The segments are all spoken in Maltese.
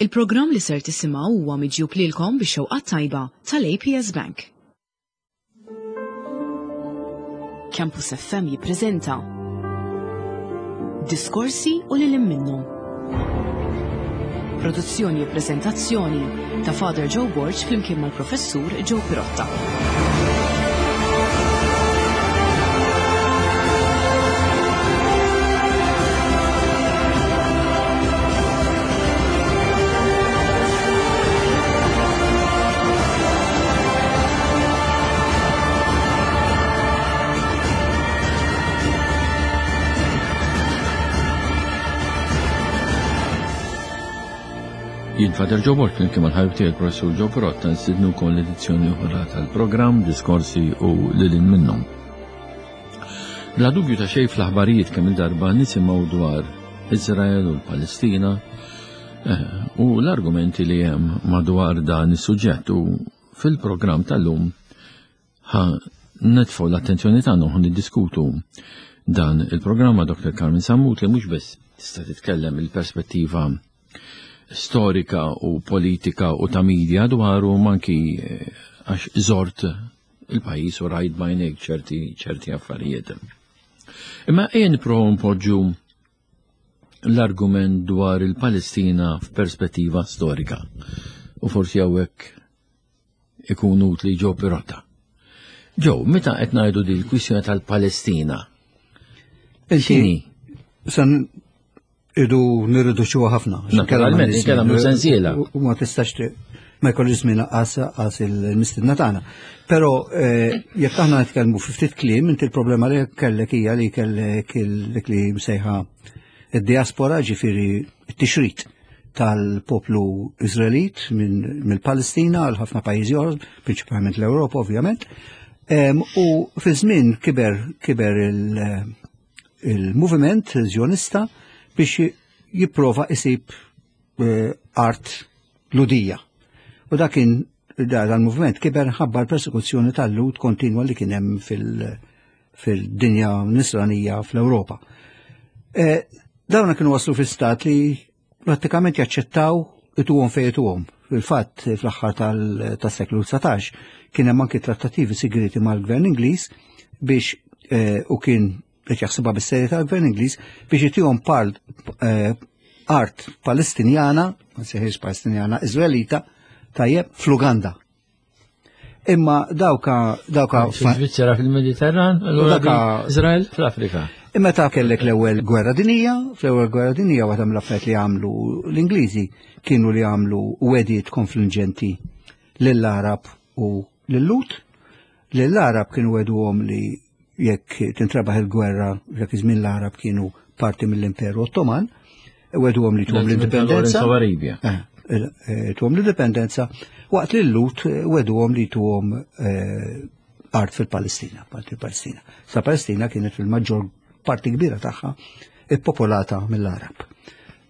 Il-programm li ser tisimgħu huwa miġjub lilkom bix-xewqat tajba tal-APS Bank. Campus FM jippreżenta Diskorsi u lil minnhom. Produzzjoni u preżentazzjoni ta' Father Joe Borg flimkien mal-Professur Joe Pirotta. Jien Father Joe Borg flimkien mal-ħabib tiegħi il-Professur Joe Pirotta nstidnukom l-edizzjoni oħra tal-programm Diskorsi u lil hinn minnhom. Bla dubju ta' xejn fl-aħbarijiet kemm il-darba nisimgħu dwar Izrael u l-Palestina eh, u l-argumenti li hemm madwar dan is-suġġett u fil-programm tal-lum ħa nitfgħu l-attenzjoni tagħna u niddiskutu dan il-programm ma' Dr. Carmen Sammut li mhux biss tista' titkellem il-perspettiva storika u politika u ta' media dwaru manki eh, għax żort il-pajjiż u rajt bajnejk ċerti ċerti affarijiet. Imma ejja nipprovaw npoġġu l-argument dwar il-Palestina f'perspettiva storika. U forsi hawnhekk ikun utli Joe Pirotta. Joe, meta qed ngħidu di l-kwistjoni tal-Palestina? X'inhi? San idu nirriduċuha ħafna. Naturalment, inkella mhu sensiela. U ma tistax ma jkollix żmien qas qas il-mistidna tagħna. Però eh, jekk aħna nitkellmu fi ftit kliem, inti l-problema li kellek hija li kellek dik li msejħa id-diaspora ġifieri t-tixrid tal-poplu Izraelit mill-Palestina għal ħafna pajjiżi oħra, prinċipalment l-Ewropa ovvjament. U fi żmien kiber kiber il- il-moviment Zjonista biex jipprova isib eh, art ludija. U dak kien dal-moviment kiber ħabba l-persekuzzjoni tal-Lud kontinwa li kien hemm fil-dinja nisranija fl-Ewropa. Eh, dawna kienu waslu fi stat li prattikament jaċċettaw ituhom fejn ituhom. Fil-fatt fl-aħħar tas-seklu 19 kien hemm anki trattativi sigriti mal-Gvern Ingliż biex eh, u kien qed jaħsibha bis-serjetà l-Gvern Ingliż biex itihom pal eh, art Palestinjana, ma sejħiex Palestinjana, Iżraelita, tajjeb fl-Uganda. Imma dawka dawka Svizzera fil-Mediterran, allura dawka Izrael fl-Afrika. Imma ta' kellek l-ewwel gwerra dinija, fl-ewwel gwerra dinija waħda mill-affarijiet li għamlu l-Ingliżi kienu li għamlu wedijiet konfliġenti lill-Arab u lil-Lut. Lill-Arab kienu weduhom li jekk tintrebaħ il-gwerra, jekk iż-żmien l-Arab kienu parti mill-Imperu Ottoman, weduhom li tuhom l-indipendenza. Eh, eh, tuhom l-indipendenza, waqt li l-Lut eh, weduhom li tuhom art fil-Palestina, parti fil-Palestina. Sa Palestina kienet fil-maġġor parti kbira tagħha ippopolata mill-Arab.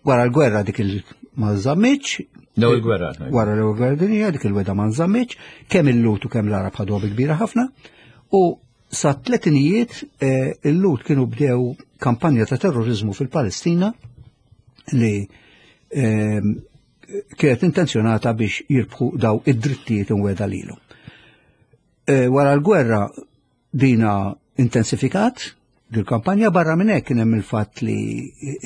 Wara l-gwerra dik il ma żammitx. L-ewwel gwerra. Wara l-ewwel gwerra dinja dik il-weda ma nżammitx, kemm il-Lut u kemm l-Arab ħaduha bi kbira ħafna. U sa tletinijiet eh, il-Lut kienu bdew kampanja ta' terrorizmu fil-Palestina li ehm, kienet intenzjonata biex jirbħu daw id-drittijiet imweda lilu. Eh, wara l-gwerra Dina intensifikat dil-kampanja barra minn hekk kien hemm il-fatt li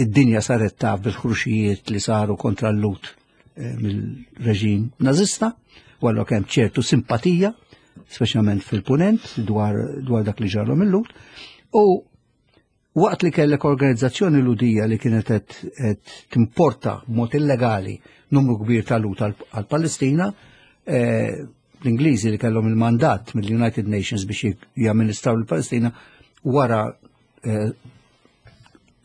id-dinja saret taf bil-ħruxijiet li saru kontra l-Lut eh, mill-reġim Nazista, u allura kemm ċertu simpatija, speċjalment fil-punent dwar, dwar dak li ġarru mill-Lut, u Waqt li kellek organizzazzjoni Lhudija li kienet qed timporta b'mod illegali numru kbir ta' Lhud għall-Palestina, eh, l-Ingliżi li kellhom il-mandat mill-United Nations biex jamministraw l-Palestina wara eh,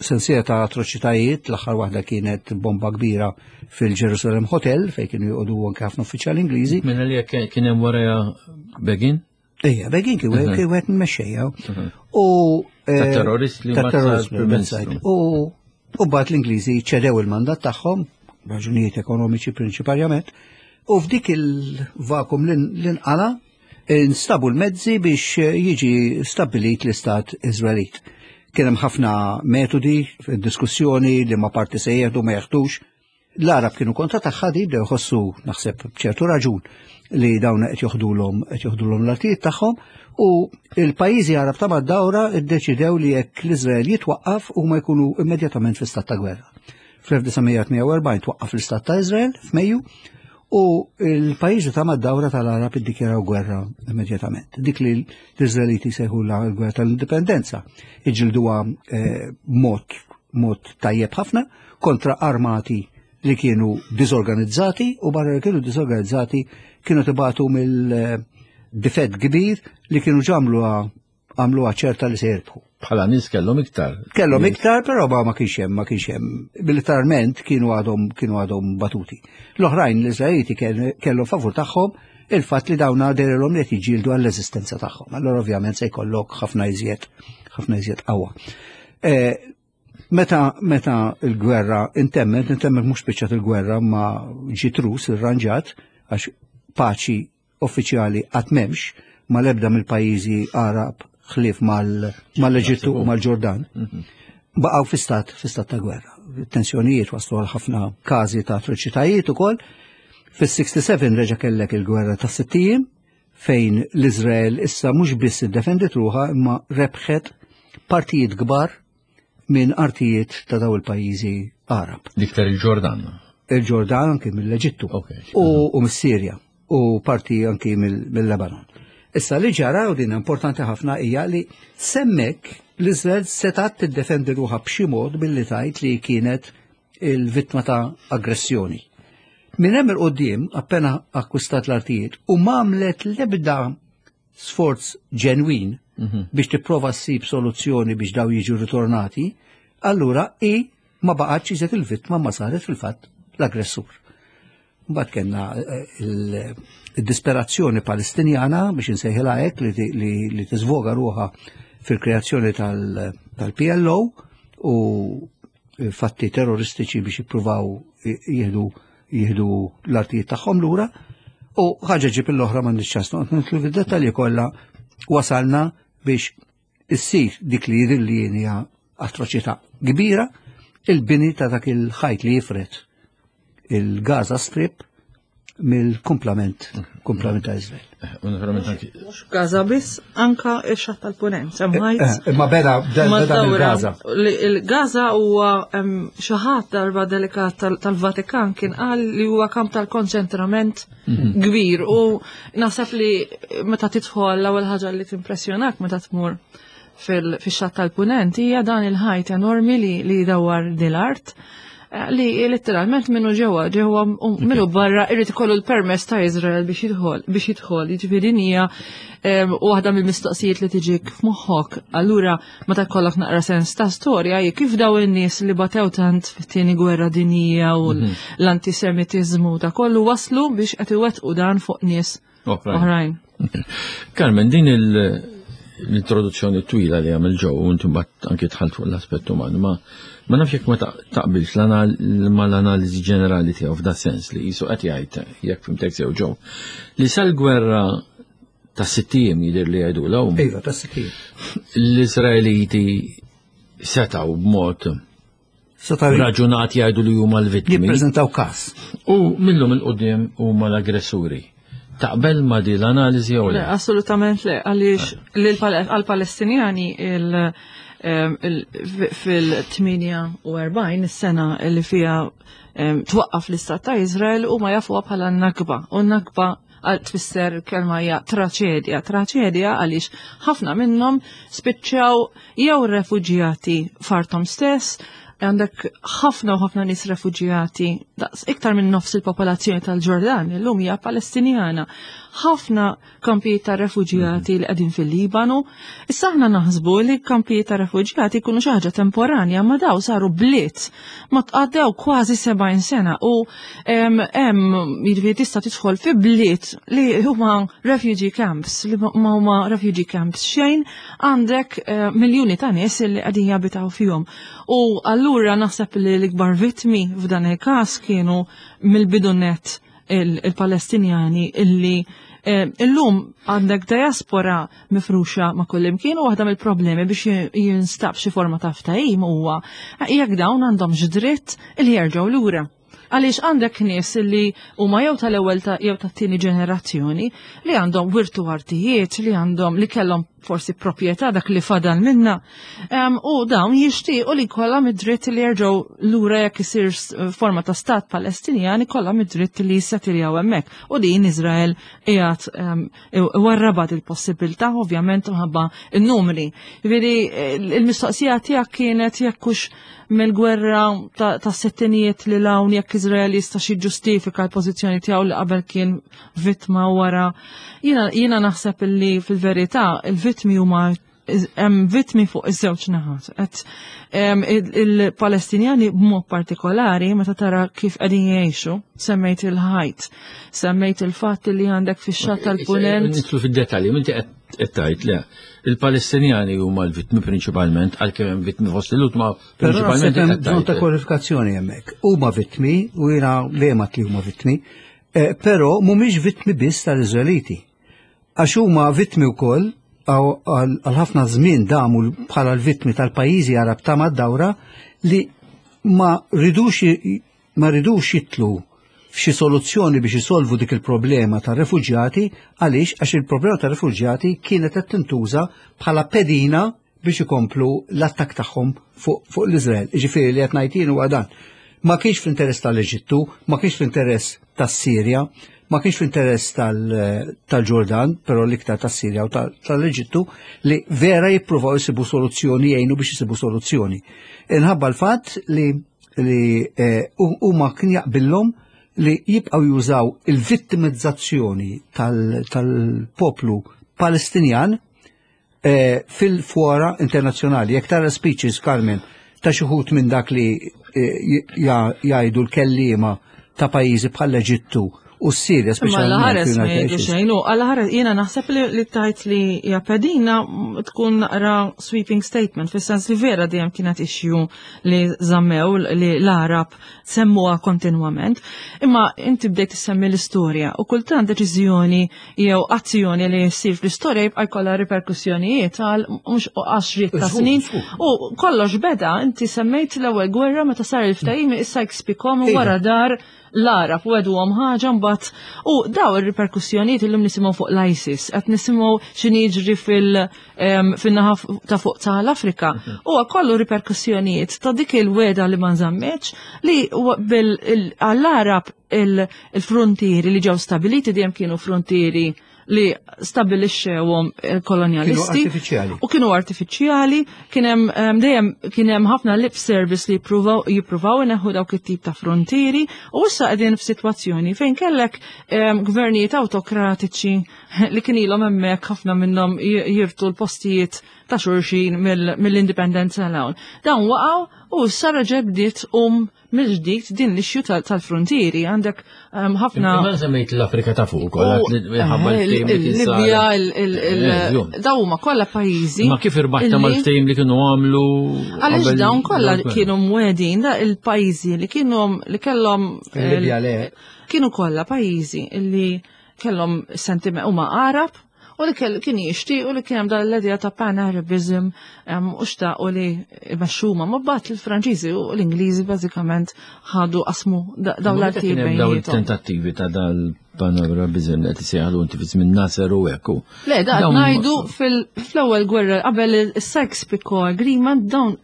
sensiela ta' atroċitajiet, l-aħħar waħda kienet bomba kbira fil-Jerusalem Hotel fejn kienu joqogħdu anke ħafna uffiċjali Ingliżi. Minna li kien hemm wara Begin? Ejja, Begin kien wieħed kien wieħed mexxejja. U eh, ta' terrorist li terrorist U u bat l-Ingliżi ċedew il-mandat tagħhom, raġunijiet ekonomiċi prinċiparjament, u f'dik il-vakum li nqala instabu l-mezzi biex jiġi stabbilit l-Istat Iżraelit. Kien hemm ħafna metodi, diskussjoni li ma parti se jieħdu ma jeħdux. L-Arab kienu kontra tagħha di bdew jħossu naħseb b'ċertu raġun li dawn qed joħdulhom qed joħdulhom l-artijiet tagħhom u il-pajjiżi Arab ta' mad-dawra iddeċidew li jekk l-Iżrael jitwaqqaf huma jkunu immedjatament fi stat ta' gwerra. Fl-1948 twaqqaf l-Istat ta' Iżrael f'Mejju u l-pajjiżi ta' mad-dawra tal-Arab iddikjaraw gwerra immedjatament. Dik li l-Iżraeliti sejħu l-gwerra tal-indipendenza iġilduha eh, mod mod tajjeb ħafna kontra armati li kienu disorganizzati u barra li kienu disorganizzati kienu tibatu mill-difett kbir li kienu ġamlu għamluha ċerta li se jirbħu. Bħala nies kellhom iktar. Kellhom iktar, però ma ma kienx hemm, ma kienx hemm. Militarment kienu għadhom kienu għadhom batuti. L-oħrajn l-Iżraeliti kellhom favur tagħhom il-fatt li dawna derilhom li qed jiġġieldu għall-eżistenza tagħhom. Allora ovvjament se jkollok ħafna iżjed ħafna iżjed qawwa. Eh, Meta meta l-gwerra intemmet, intemmet mhux spiċċat il-gwerra ma ġiet rus irranġat għax paċi uffiċjali qatt m'hemmx mal-ebda mill-pajjiżi Arab ħlief mal-Eġittu u mal-Ġordan. Mhm. Baqgħu fi stat fi stat ta' gwerra. Tensjonijiet waslu għal ħafna każi ta' atroċitajiet ukoll. Fis-67 reġa' kellek il-gwerra ta' sittijiem fejn l-Iżrael issa mhux biss iddefendiet ruħha imma rebħet partijiet kbar minn artijiet ta' daw il-pajjiżi Arab. L-iktar il-Ġordan. Il-Ġordan anki mill-Eġittu okay. u mis-Sirja u parti anki mill-Lebanon. Issa li ġara u din importanti ħafna hija li semmek l-Iżrael setat tiddefendi ruħha b'xi mod billi tajt li kienet il-vittma ta' aggressjoni. Minn hemm il-qudiem appena akkwistat l-artijiet u m'għamlet l-ebda sforz ġenwin mhm. biex tipprova ssib soluzzjoni biex daw jiġu ritornati, allura i ma baqgħetx iżjed il-vittma ma saret fil-fatt l-aggressur. Mbagħad kellna eh, il-disperazzjoni Palestinjana biex insejħilha hekk li tiżvoga ruħha fil-kreazzjoni tal-PLO u fatti terroristiċi biex jippruvaw jieħdu jieħdu l-artijiet tagħhom lura u ħaġa ġib l-oħra ma ċans noqgħod nidħlu fid-dettalji kollha wasalna biex issir dik li jidher li hija atroċità kbira il-bini ta' dak il-ħajt li jifred il-Gaza Strip mill-kumplament kumplament ta' Izrael. Eh, Mhux Gaza biss, anka ix-xatt tal-Punent, hemm eh, ħajt. Eh, imma beda beda mill-Gaza. Il-Gaza huwa xi ħadd darba delikat tal-Vatikan kien qal li huwa kamp tal-konċentrament mhm. kbir u naħseb li meta tidħol l-ewwel ħaġa li timpressjonak meta tmur fil-xatt tal-punent hija dan il-ħajt enormi li, li jdawwar din l-art eh, li letteralment minnu ġewwa ġewwa minnu barra irrid ikollu l-permess ta' Izrael biex jidħol biex jidħol jiġifieri din hija waħda mill-mistoqsijiet li tiġik f'moħħok. Allura meta jkollok naqra sens ta' storja hi kif daw in-nies li batew tant fit-tieni gwerra dinjija u mhm. l-antisemitiżmu ta' kollu waslu biex qed iwettqu dan fuq nies oħrajn. Carmen, din l-introduzzjoni twila li għamil ġew, u inti mbagħad anki dħalt fuq l-aspett uman, ma ma nafx jekk ma taqbilx ma l-analiżi ġenerali tiegħu f'da sens li qisu qed jgħid jekk fimtek sew ġew li sal-gwerra ta' sittijiem jidher li jgħidu l Iva, ta' sittijiem. L-Iżraeliti setgħu b'mod raġunat jgħidu li huma l-vittmi. Jippreżentaw każ. U millum il-qudiem huma l-aggressuri. Taqbel ma di l-analiżi jew le? Assolutament le, għaliex għal-Palestinjani fil-48 is-sena li fiha twaqqaf l-istat ta' Izrael huma jafuha bħala n-Nakba. U n-Nakba għal tfisser kelma hija traċedja. Traċedja għaliex ħafna minnhom spiċċaw jew refuġjati fartom stess, għandek ħafna u ħafna nies refuġjati, daqs iktar minn nofs il-popolazzjoni tal-Ġordan, illum hija Palestinjana. Ħafna kampijiet ta' refuġjati li qegħdin fil-Libanu. Issa aħna naħsbu li kampijiet ta' refuġjati jkunu xi ħaġa temporanja, ma daw saru bliet ma tqaddew kważi 70 sena u hemm jiġifieri tista' tidħol fi bliet li huma refugee camps, li ma huma refugee camps xejn, għandek eh, miljuni ta' nies li qegħdin jabitaw fihom. U allura naħseb li l-ikbar vittmi f'dan il-każ kienu mill-bidunet il-Palestinjani illi eh, illum għandek diaspora mifruxa ma' kullimkien u waħda mill-problemi biex jinstab xi forma ta' ftehim huwa jekk dawn għandhomx dritt li jerġgħu lura. Għaliex għandek nies li huma jew tal-ewwel jew tat-tieni ġenerazzjoni li għandhom wirtu artijiet, li għandhom li kellhom forsi proprjetà dak li fadal minna. U dawn jixtiequ li jkollhom id-dritt li jerġgħu lura jekk isir forma ta' stat Palestinjan ikollhom id-dritt li jissetiljaw hemmhekk. U din Iżrael qiegħed warrabat il-possibilità ovvjament minħabba n-numri. Jiġifieri il-mistoqsija tiegħek kienet jekk hux mill-gwerra ta' settinijiet li l-hawn jekk Iżrael jista' xi ġustifika l-pożizzjoni tiegħu li qabel kien vittma wara. Jiena naħseb li fil-verità il-vittmi huma hemm vittmi fuq iż-żewġ naħat. Qed il-Palestinjani b'mod partikolari meta tara kif qegħdin jgħixu, semmejt il-ħajt, semmejt il-fatt li għandek fix-xatt tal-punent. Nidħlu fid-dettalji, inti qed tgħid le. Il-Palestinjani huma l-vittmi prinċipalment, għalkemm hemm vittmi fost il-Lhud ma prinċipalment hemm bżonn ta' kwalifikazzjoni hemmhekk. Huma vittmi u jiena dejjem li huma vittmi, eh, però mhumiex vittmi biss tal-Iżraeliti. Għax huma vittmi wkoll għal ħafna żmien damu bħala l-vittmi tal-pajjiżi Arab ta' mad-dawra li ma ridux ma ridux jitlu f'xi soluzzjoni biex isolvu dik il-problema ta' refuġjati għaliex għax il-problema ta' refuġjati kienet qed tintuża bħala pedina biex ikomplu l-attakk tagħhom fuq fu l-Iżrael. Ġifieri li qed ngħid jien huwa dan. Ma kienx fl-interess tal-Eġittu, ma kienx fl-interess tas-Sirja, ma kienx fl-interess tal-Ġordan, però l-iktar tas-Sirja u tal-Eġittu li vera jippruvaw jisibu soluzzjoni jgħinu biex jisibu soluzzjoni. Inħabba l-fatt li li eh, huma kien jaqbillhom li jibqgħu jużaw il-vittimizzazzjoni tal-poplu Palestinjan eh, fil-fora internazzjonali. Jekk tara speeches, Carmen, ta' xi minn dak li eh, jgħidu l-kelliema ta' pajjiżi bħal Eġittu u s-Sirja speċjalment. Ma l-ħares ma jgħidu xejn, u għal-ħares jiena naħseb li tajt li japedina tkun naqra sweeping statement, fis-sens li vera dejjem kienet issue li zammew li l-Arab semmuha kontinwament. Imma inti bdejt issemmi l-istorja u kultant deċiżjoni jew azzjoni li ssir fl-istorja jibqa' jkollha riperkussjonijiet għal mhux għaxriet ta' snin. U kollox beda, inti semmejt l-ewwel gwerra meta sar il-ftehim issa Sykes-Picot iva. wara dar l-Arab u għeduhom ħaġa mbagħad u daw ir-riperkussjonijiet illum nisimgħu fuq l-ISIS, qed nisimgħu x'inhi jiġri fil-naħa ta' fuq tal-Afrika. Mhm. Huwa kollu riperkussjonijiet ta' dik il-weda li ma nżammitx li għall-Arab il-frontieri li ġew stabiliti dejjem kienu frontieri li stabilixxewhom il-kolonjalisti. U kienu artifiċjali, kien hemm dejjem kien hemm ħafna lip service li jippruvaw jippruvaw ineħħu dawk it-tip ta' frontieri u issa qegħdin f'sitwazzjoni fejn kellek gvernijiet awtokratiċi li kien ilhom hemmhekk ħafna minnhom jirtu l-postijiet ta' xulxin mill-indipendenza l hawn. Dawn waqgħu u issa reġgħet bdiet um mill-ġdid din l-issue tal-frontieri għandek ehm, ħafna. Ma semmejt l-Afrika ta' fuq ukoll eh, il-Libja, eh, daw huma kollha pajjiżi. Ma kif irbaħta mal-ftehim li kienu għamlu? Għaliex dawn kollha kienu mwedin da il-pajjiżi li kienu li kellhom. Il-Libja le. Kienu kollha pajjiżi li kellhom sentiment huma Arab u li kien jixtiequ li kien hemm dan l-idea ta' pan-Arabism u xtaqu li jmexxuma. Ma bat il-Franċiżi u l-Ingliżi bażikament ħadu qasmu dawn l-artijiet bejniethom. Dawn il-tentattivi ta' dal-pan-Arabism qed isejħlu inti fi żmien Nasser u hekk. Le, da ngħidu fl-ewwel gwerra qabel is-Sykes-Picot Agreement dawn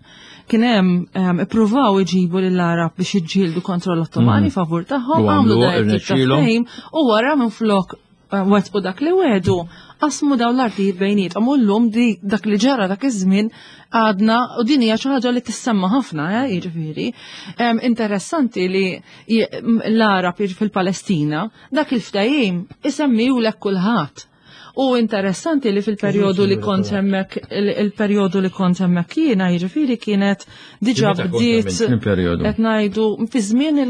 kien hemm ippruvaw iġibu lill-Arab biex jiġġieldu kontra l-Ottomani mm. favur tagħhom, għamlu dan u wara minflok eh, wettqu dak li wedu, qasmu dawn l-artijiet bejniethom u llum di dak li ġara dak iż-żmien għadna u din hija xi ħaġa li tissemma ħafna, eh, jiġifieri. Interessanti li l-Arab fil-Palestina dak il-ftehim isemmihulek kulħadd. U interessanti li fil-perjodu li kont hemmhekk il-perjodu li kont hemmhekk jiena jiġifieri kienet diġà bdiet qed ngħidu fi żmien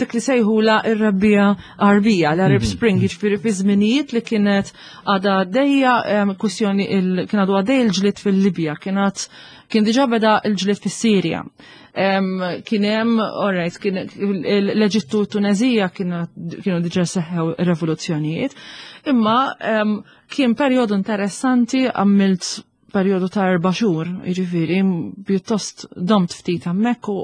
dik li sejħula r-rebbija Arbija, l-Arab mhm. Spring, jiġifieri fi żminijiet li kienet għadha għaddejja kwistjoni kien għadu għaddej il-ġlied fil-Libja, kienet kien diġà beda l-ġlied fis-Sirja. Kien hemm, alright, kien l-Eġittu u Tunezija kienu diġà seħħew revoluzzjonijiet, imma kien perjodu interessanti għamilt perjodu ta' 4 xhur, jiġifieri pjuttost domt ftit hemmhekk u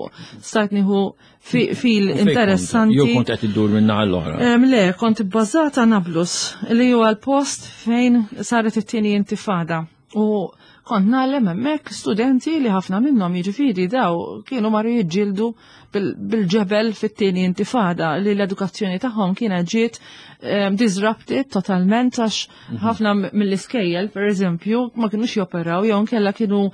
stajt nieħu fil interessanti. Jew kont qed iddur minn naħa l-oħra. Le, kont ibbażata Nablus, li huwa l-post fejn saret it-tieni intifada. U kont nagħlem hemmhekk studenti li ħafna minnhom jiġifieri daw kienu marru jiġġieldu bil-ġebel fit-tieni intifada li l-edukazzjoni tagħhom kienet ġiet disrupted totalment għax ħafna mill-iskejjel pereżempju ma kinux joperaw jew inkella kienu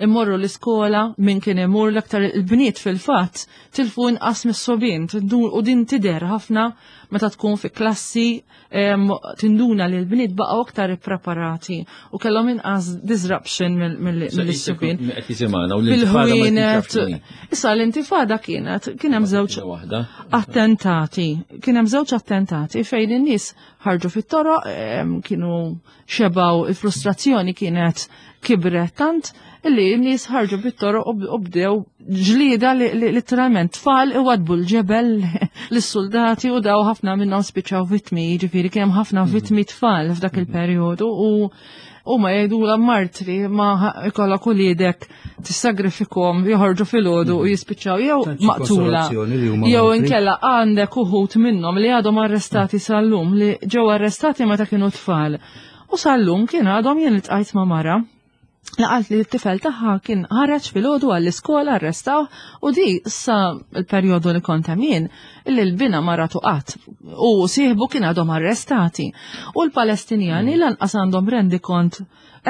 immorru l-iskola min kien imur l-aktar il-bniet fil-fatt tilfu inqas mis-sobien u din tidher ħafna meta tkun fi klassi tinduna li l-bniet baqgħu aktar ippreparati u kellhom inqas disruption mill-subien. Fil-ħwienet. Issa l-intifada kienet kien hemm żewġ attentati, kien hemm żewġ attentati fejn in-nies ħarġu fit-toroq, kienu xebaw il-frustrazzjoni kienet kibret tant li n-nies ħarġu bit-toroq u bdew ġlieda li literalment tfal iwadbu l-ġebel lis-soldati u daw ħafna minnhom spiċċaw vittmi, jiġifieri kien hemm ħafna vittmi tfal f'dak il-perjodu u huma jgħidulha martri ma ikollok uliedek tissagrifikhom joħorġu filgħodu u jispiċċaw jew maqtula jew inkella għandek uħud minnhom li għadhom arrestati sal-lum li ġew arrestati meta kienu tfal. U sal-lum kien għadhom jien iltqajt ma' mara li qalt li t-tifel tagħha kien ħareġ filgħodu għall-iskola arrestaw u di sa l-perjodu li kont hemm jien li l-bina ma ratu qatt u sieħbu kien għadhom arrestati. U l-Palestinjani lanqas għandhom rendikont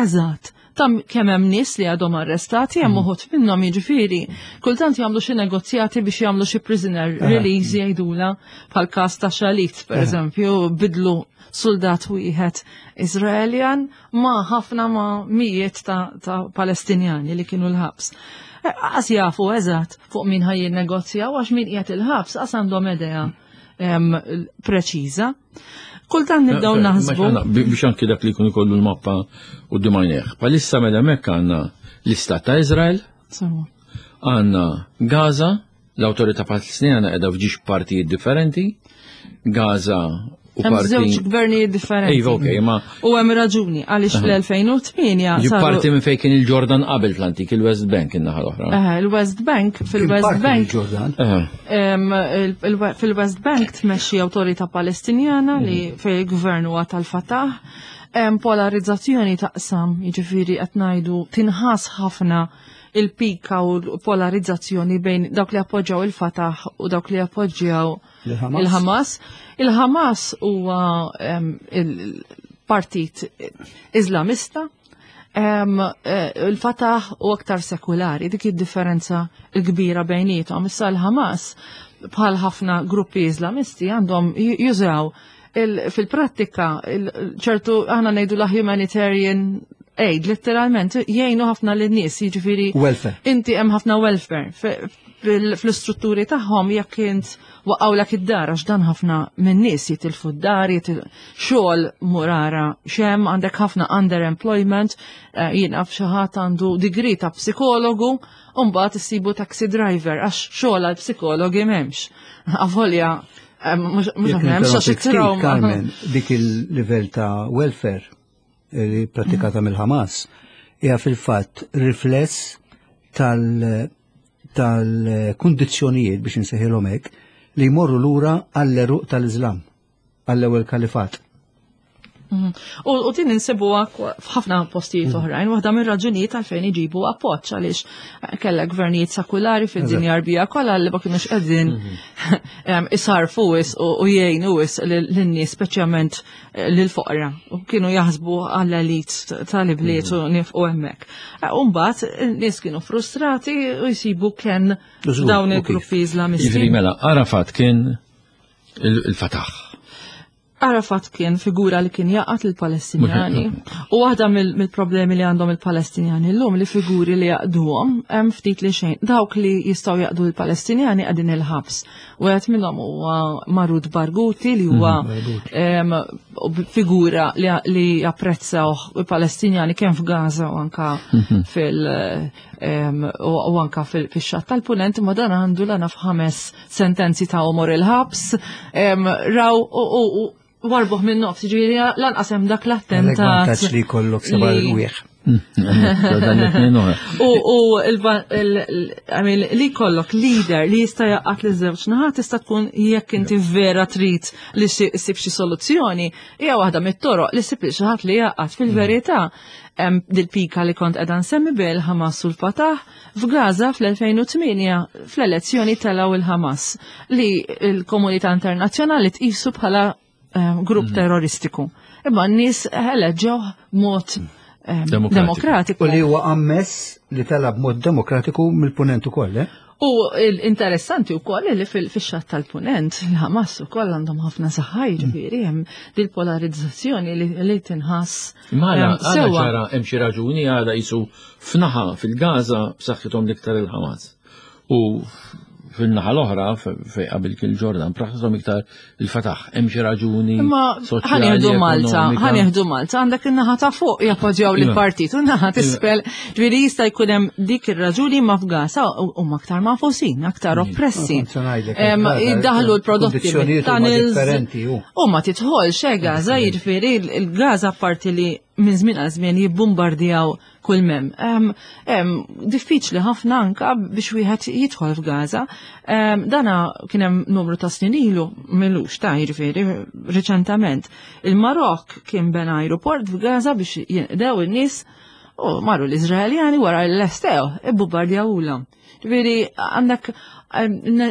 eżatt ta' kemm hemm nies li għadhom arrestati, hemm uħud minnhom jiġifieri kultant jagħmlu xi negozjati biex jagħmlu xi prisoner release jgħidula bħal każ ta' Shalit pereżempju bidlu soldat wieħed Iżraeljan ma' ħafna ma' mijiet ta' Palestinjani li kienu l-ħabs. Qas jafu eżatt fuq min ħaj jinnegozjaw għax min qiegħed il-ħabs qas għandhom idea preċiża. Kultant nibdew naħsbu. Biex anki dak li jkun ikollu l-mappa u d-dimajneħ. Palissa mela hemmhekk għandna l-istat ta' Izrael, għandna Gaza, l-awtorità Palestinjana qiegħda f'ġiex partijiet differenti, Gaza u Hemm parti. żewġ gvernijiet differenti. Iva, okej, ma U hemm raġuni għaliex fl-2008 Ġi saru parti minn fejn kien il-Ġordan qabel fl-antik, il-West Bank in-naħa l-oħra. Il-West Bank, fil-West Parti Bank, mill-Ġordan. Fil-West Bank tmexxi awtorità Palestinjana li fej il-gvern huwa tal-Fatah. Hemm polarizzazzjoni taqsam, jiġifieri qed ngħidu tinħass ħafna il-pika u l-polarizzazzjoni bejn dawk li appoġġjaw il-Fatah u dawk li appoġġjaw Il-Hamas. il-Hamas. Il-Hamas huwa il-partit Islamista. Il-Fatah u aktar sekulari, dik id-differenza l-kbira bejnietom. Issa l-Hamas bħal ħafna gruppi Islamisti għandhom jużaw fil-prattika ċertu aħna ngħidu la humanitarian aid, letteralment jgħinu ħafna lin-nies, jiġifieri Welfare. Inti hemm ħafna welfare fl-istrutturi tagħhom jekk int waqgħulek id-dar għax dan ħafna min-nies jitilfu d-dar, xogħol murara xem, għandek ħafna underemployment, jiena f'xi ħadd għandu degree ta' psikologu, u mbagħad issibu taxi driver għax xogħol għal psikologi m'hemmx. Avolja, mhux Jekk m'hemmx għax ninterrompi ftit, it-trauma. Carmen, dik il-livell ta' welfare li pratikata mill-Hamas hija fil-fatt rifless tal-kundizzjonijiet biex insejħilhom hekk li jmorru lura għall-eruq tal-Iżlam, għall-ewwel kalifat. U din insibuha f'ħafna postijiet oħrajn, waħda mir-raġunijiet għalfejn iġibu appoġġ għaliex kellha gvernijiet sekulari fid-dinja Arbija kollha li ma kinux qegħdin isarfu wis u jgħinu wis lin-nies, speċjalment lill-foqra, u kienu jaħsbu għall-elit tal-ibliet u nifqu hemmhekk. U mbagħad in-nies kienu frustrati u jsibu kien Żgur, dawn u kif. il-gruppi Islamisti. Jiġifieri mela, Arafat kien il-Fatah. Arafat kien figura li kien jaqat il-Palestinjani. U waħda mill-problemi li għandhom il-Palestinjani llum li figuri li jaqduhom hemm ftit li xejn. Dawk li jistgħu jaqdu l-Palestinjani qegħdin il-ħabs. Wieħed minnhom huwa Marwan Barghouti li huwa figura li japprezzaw il-Palestinjani kemm f'Gaza u anka fix-xatt tal-Punent, imma dan għandu l f'ħames sentenzi ta' omor il-ħabs, raw u warbuh minn nofs, ġifieri lanqas hemm dak l-attentat. Għalhekk vantaġġ li jkollok seba' li rwieħ. U li kollok leader li jista' jaqgħad li żewġ naħat tista' tkun jekk inti vera trid li ssib xi soluzzjoni, hija waħda mit-toroq li ssib xi ħadd li jaqgħad fil-verità. Dil-pika li kont qiegħda nsemmi bejn il-Ħamas u l-Fatah f'Gaza fl-2008 fl-elezzjoni telgħu il-Ħamas li l-komunità internazzjonali tqisu bħala grupp terroristiku. Imma n-nies eleġġew mod demokratiku. U li huwa ammess li tela b'mod demokratiku mill-punent ukoll, eh? U l-interessanti wkoll li fix-xatt tal-punent il-Ħamas ukoll għandhom ħafna saħħa, jiġifieri hemm dil-polarizzazzjoni li tinħass. Mela, sewa ċara hemm xi raġuni għala jisu f'naħa fil-Gaza b'saħħithom l-iktar il-Ħamas. U fil-naħa l-oħra, fej qabel kien Ġordan, b'saħħithom iktar il-Fatah. Hemm xi raġuni Imma ħanieħdu Malta, ħanieħdu Malta, għandek in-naħa ta' fuq jappoġġjaw lil partit u naħa t'isfel. Ġifieri jista' jkun hemm dik ir-raġuni ma f'Gaza huma aktar mafusin, aktar oppressi. Jiddaħlu l-prodotti mit-tunnels. U ma tidħolx eh Gaza, jiġifieri il-Gaza parti li minn żmien għal żmien jibbombardjaw kull mem. Diffiċli ħafna anka biex wieħed jidħol f'Gaza. Dana kien hemm numru ta' snin ilu, milux ta' jiġifieri riċentament. Il-Marok kien bena aeroport f'Gaza biex jinqdew in-nies u marru l-Iżraeljani wara l-estew, ibbombardjawulhom. Ġifieri għandek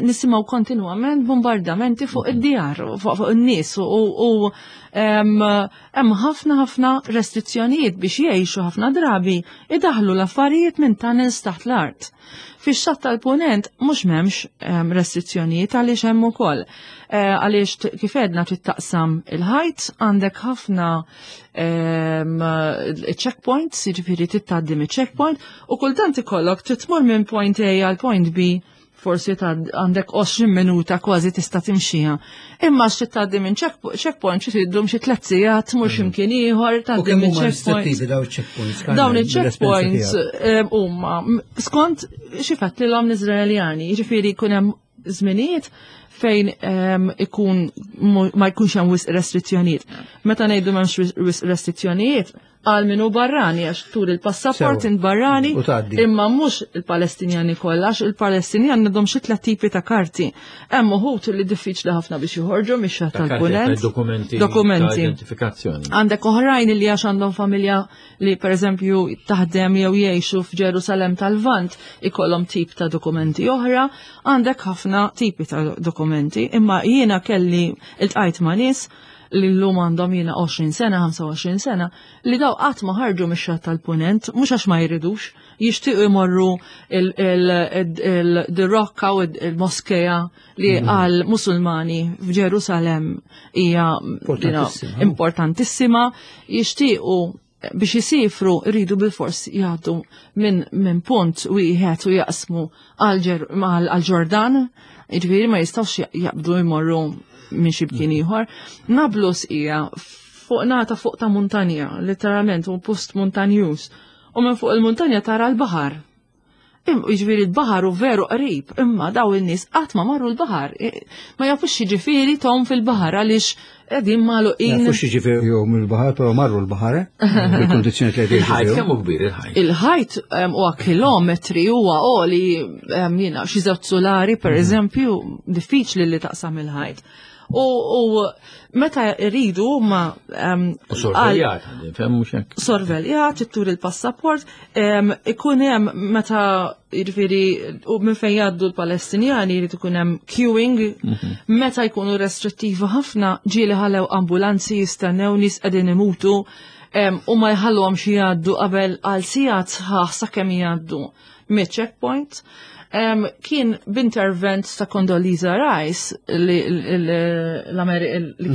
nisimgħu kontinwament bombardamenti fuq id-djar, fuq in-nies u hemm ħafna ħafna restrizzjonijiet biex jgħixu ħafna drabi idaħlu l-affarijiet minn tunnels taħt l-art. Fix-xatt tal-punent mhux m'hemmx restrizzjonijiet għaliex hemm ukoll. Għaliex kif għedna trid taqsam il-ħajt, għandek ħafna checkpoints, jiġifieri trid tgħaddi miċ-checkpoint, u kultant ikollok trid tmur minn point A għal point B, forsi għandek 20 minuta kważi tista' timxiha. Imma xi tgħaddi minn checkpoint xi tiddum xi tliet sigħat tmur x'imkien ieħor tgħaddi minn checkpoint. Dawn checkpoints. Dawn il-checkpoints huma skont xi fattilhom l-Iżraeljani, jiġifieri jkun hemm żminijiet fejn ikun ma jkunx hemm wisq restrizzjonijiet. Meta ngħidu m'hemmx wisq restrizzjonijiet, għal min hu barrani għax tur il-passaport int barrani imma mhux il-Palestinjani kollha għax il-Palestinjani għandhom xi tliet tipi ta' karti. Hemm uħud li diffiċli ħafna biex joħorġu mix-xatt tal-punent. Dokumenti. Dokumenti. Identifikazzjoni. Għandek oħrajn li għax għandhom familja li pereżempju taħdem jew jgħixu f'Ġerusalem tal-Lvant ikollhom tip ta' dokumenti oħra, għandek ħafna tipi ta' dokumenti, imma jiena kelli iltqajt ma' nies li llum għandhom jiena 20 sena, 25 sena, li daw qatt ma ħarġu mix-xatt tal-punent, mhux għax ma jridux, jixtiequ jmorru il-rokka u il-moskeja li għal musulmani f'Ġerusalem hija importantissima, jixtiequ biex jisifru rridu bil-fors jgħaddu minn punt wieħed u jaqsmu għal-Ġordan, jiġifieri ma jistgħux jaqbdu jmorru minn xi bkien ieħor. Nablus hija fuq nata fuq ta' muntanja, letteralment u post montanjuż. U minn fuq il-muntanja tara l-baħar. Jiġifieri l-baħar u veru qrib, imma daw in-nies qatt ma marru l-baħar. Ma jafux jiġifieri tom fil-baħar għaliex qegħdin magħluqin. Ma jafux jiġifieri jom il-baħar, però marru l-baħar, eh? Bil-kondizzjoni li qegħdin. Il-ħajt kemm hu kbir il-ħajt? Il-ħajt huwa kilometri huwa għoli jiena xi żewġ solari pereżempju, diffiċli li taqsam il-ħajt. U meta rridu ma U sorveljat, fem mhux hekk. Sorveljat, ittur il-passaport, ikun hemm meta jiġifieri u minn fejn jgħaddu l-Palestinjani jrid ikun hemm queuing, meta jkunu restrittivi ħafna ġieli ħallew ambulanzi jistennew nies qegħdin imutu u ma jħalluhomx jgħaddu qabel għal sigħat sħaħ sakemm jgħaddu mit-checkpoint. Kien b'intervent ta' Condoleezza Rice li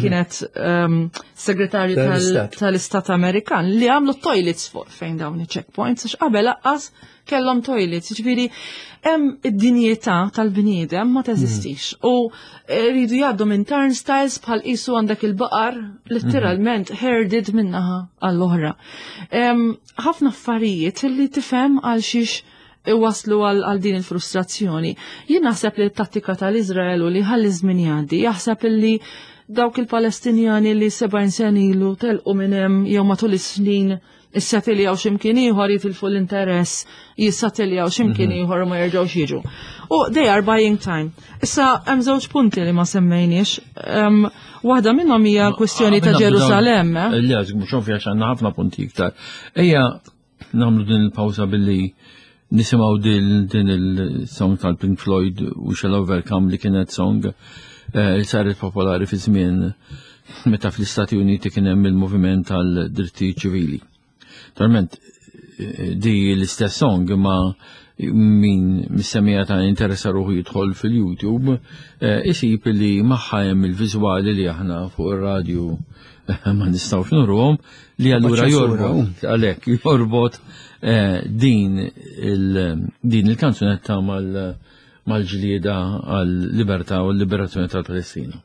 kienet segretarju tal-Istat Amerikan li għamlu toilets fuq fejn dawn i-checkpoints, għax qabel laqqas kellhom toilets, jiġifieri hemm id-dinjità tal-bniedem ma teżistix. U rridu jgħaddu minn turnstiles bħal qisu għandek il-baqar letteralment herded minnaħa għall-oħra. Ħafna affarijiet li tifhem għal xiex iwaslu għal din il-frustrazzjoni. Jien naħseb li t-tattika tal-Iżrael u li ħalli żmien jgħaddi, jaħseb li dawk il-Palestinjani li 70 sen ilu telqu minn hemm jew matul is-snin Issatiljaw x'imkien ieħor jitilfu l-interess, jissatiljaw x'imkien mhm. ieħor u ma jerġgħux jiġu. U they are buying time. Issa hemm żewġ punti li ma semmejniex. Waħda minnhom hija l-kwistjoni ta' Ġerusalemm. Eh? Le, mhux ovvja għandna ħafna punti iktar. Ejja nagħmlu din il-pawża billi nisimgħu din il-song tal-Pink Floyd We Shall Overcome li kienet song eh, li saret popolari fi żmien meta fl-Istati Uniti kien hemm il-moviment tal-drittijiet ċivili. Naturalment eh, di l-istess song imma min missemmija ta' interessa ruħu jidħol fil-YouTube eh, isib li magħha hemm il-viżwali li aħna fuq ir-radju ma nistgħux nurhom li allura jorbot għalhekk jorbot eh, din din il-kanzunetta mal-ġlieda għal-libertà u l-liberazzjoni tal-Palestina.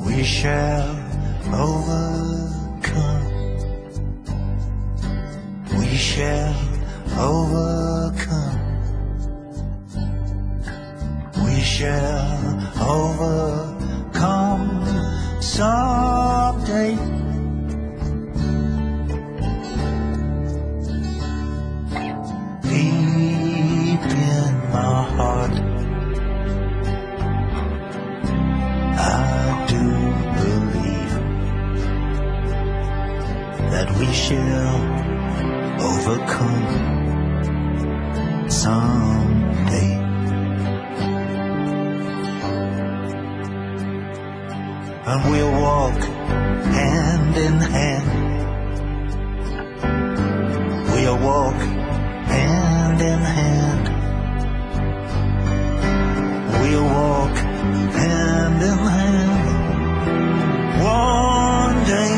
We shall overcome. We shall overcome. We shall overcome someday. Deep in my heart, I do believe that we shall overcome someday. And we'll walk hand in hand. We'll walk hand in hand. We'll walk hand in hand one day.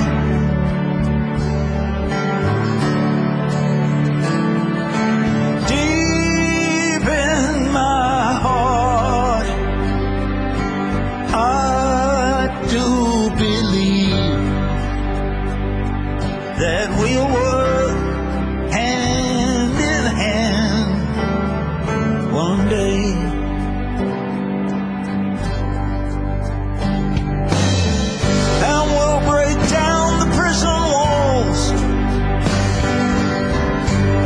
Deep in my heart, I do believe that we'll work hand in hand one day. And we'll break down the prison walls.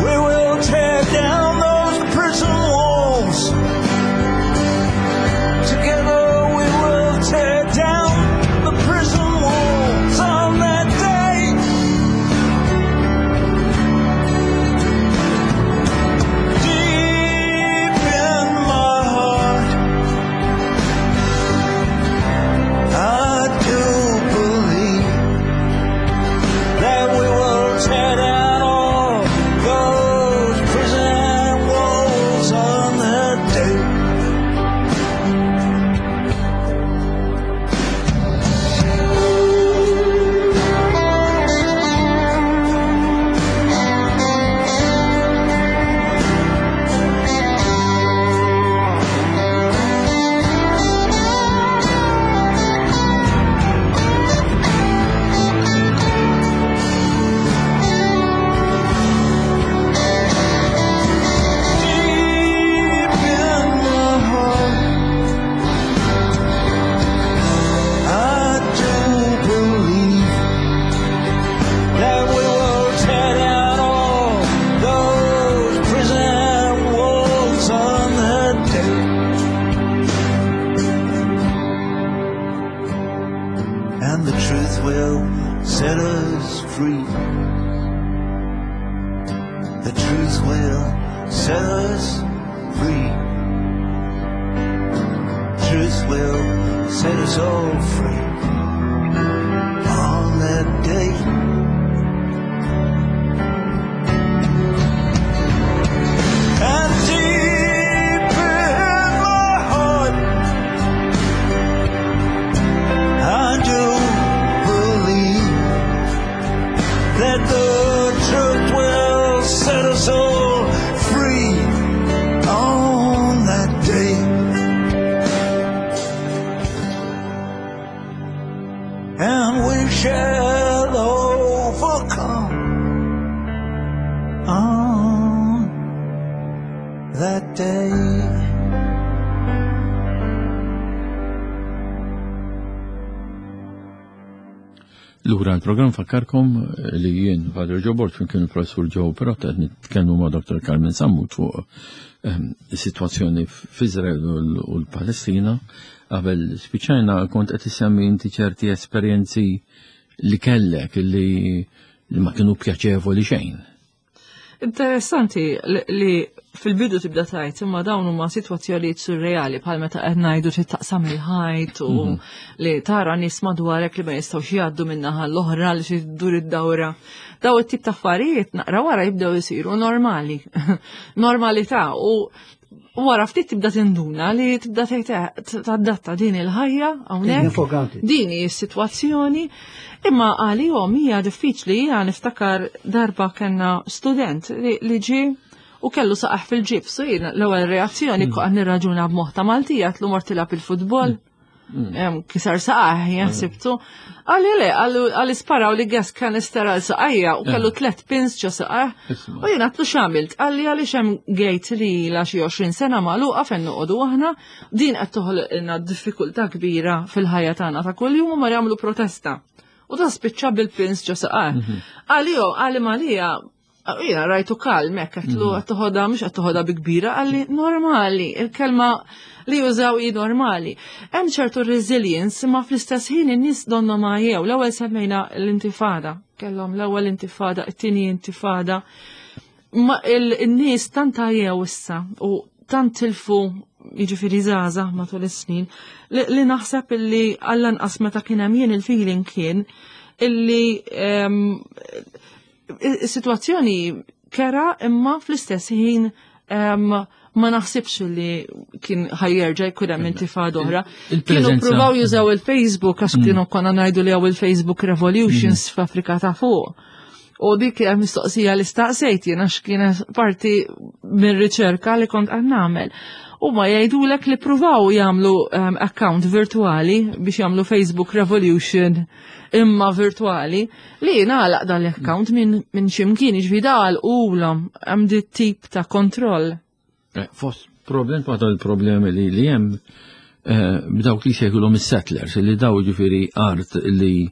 We will tear down those prison walls. Together we will tear down the prison walls on that day. Deep in my heart, I do believe that we will tear down all those prison walls on that day. Deep in my heart, I do believe that we will tear down all those prison walls on that day. And the truth will set us free. The truth will set us free. Truth will set us all free on that day. And we shall overcome on that day. Lura l-programm fakkarkom li jien Father Joe Borg kien il-professur Joe Perotta qed nitkellmu ma' Dr. Carmen Sammut fuq is-sitwazzjoni f'Iżrael u l-Palestina. Qabel spiċċajna kont qed issemmi inti ċerti esperjenzi li kellek li ma kienu pjaċevoli xejn. Interessanti li fil-bidu tibda tajt imma dawn huma sitwazzjonijiet surreali bħal meta qed ngħidu trid taqsam il-ħajt u li tara nies madwarek li ma jistgħux jgħaddu min-naħa l-oħra li xi ddur id-dawra. Daw it-tip ta' affarijiet naqra wara jibdew isiru normali. Normalità u wara ftit tibda tinduna li tibda tgħid tadatta din il-ħajja hawnhekk. Din hi s-sitwazzjoni. Imma għalihom hija diffiċli, hija niftakar darba kellna student li ġie u kellu saqaħ fil-ġibs u jien l-ewwel reazzjoni kont nirraġuna b'moħħ ta' Maltija tlu mort tilgħab il-futbol. Kisar saqaħ, jaħsibtu. Għalli le, għalli sparaw li gas canister għal saqajja u kellu 3 pins ġo saqaħ. U jien għatlu x'għamilt, għalli għaliex hemm gate li ilha xi 20 sena magħluqa fejn noqogħdu aħna, din qed toħloqilna diffikultà kbira fil-ħajja tagħna ta' kuljum u mar jagħmlu protesta. U ta' spiċċa bil-pins ġo saqaħ. Għalli jo, għalli malija, jiena rajtu kalm, hekk qed qed toħodha, mhux qed toħodha bi kbira, għalli normali, il-kelma li jużaw hi normali. Hemm ċertu resilience, imma fl-istess ħin in-nies donna ma jew. L-ewwel semmejna l-intifada, kellhom l-ewwel intifada, it-tieni intifada. Ma in-nies tant jew issa u tant tilfu jiġifieri żgħażagħ matul is-snin li naħseb illi għall-anqas meta kien hemm jien il-feeling kien illi is-sitwazzjoni kera imma fl-istess ħin ma naħsibx li kien ħajjerġa' jkun hemm intifada oħra. Kienu pruvaw jużaw il-Facebook għax kienu konna ngħidu li hawn il-Facebook Revolutions f'Afrika ta' fuq. U dik hija mistoqsija li staqsejt jien għax kienet parti minn riċerka li kont qed nagħmel. U ma jgħidulek li pruvaw jagħmlu account virtuali biex jagħmlu Facebook Revolution imma virtuali li jingħalaq dan l-account minn x'imkien, jiġifieri dal ulhom hemm dit tip ta' kontroll. Fost problem, waħda l-problemi li hemm b'dawk li jsejħulhom is-settlers, li daw jiġifieri art li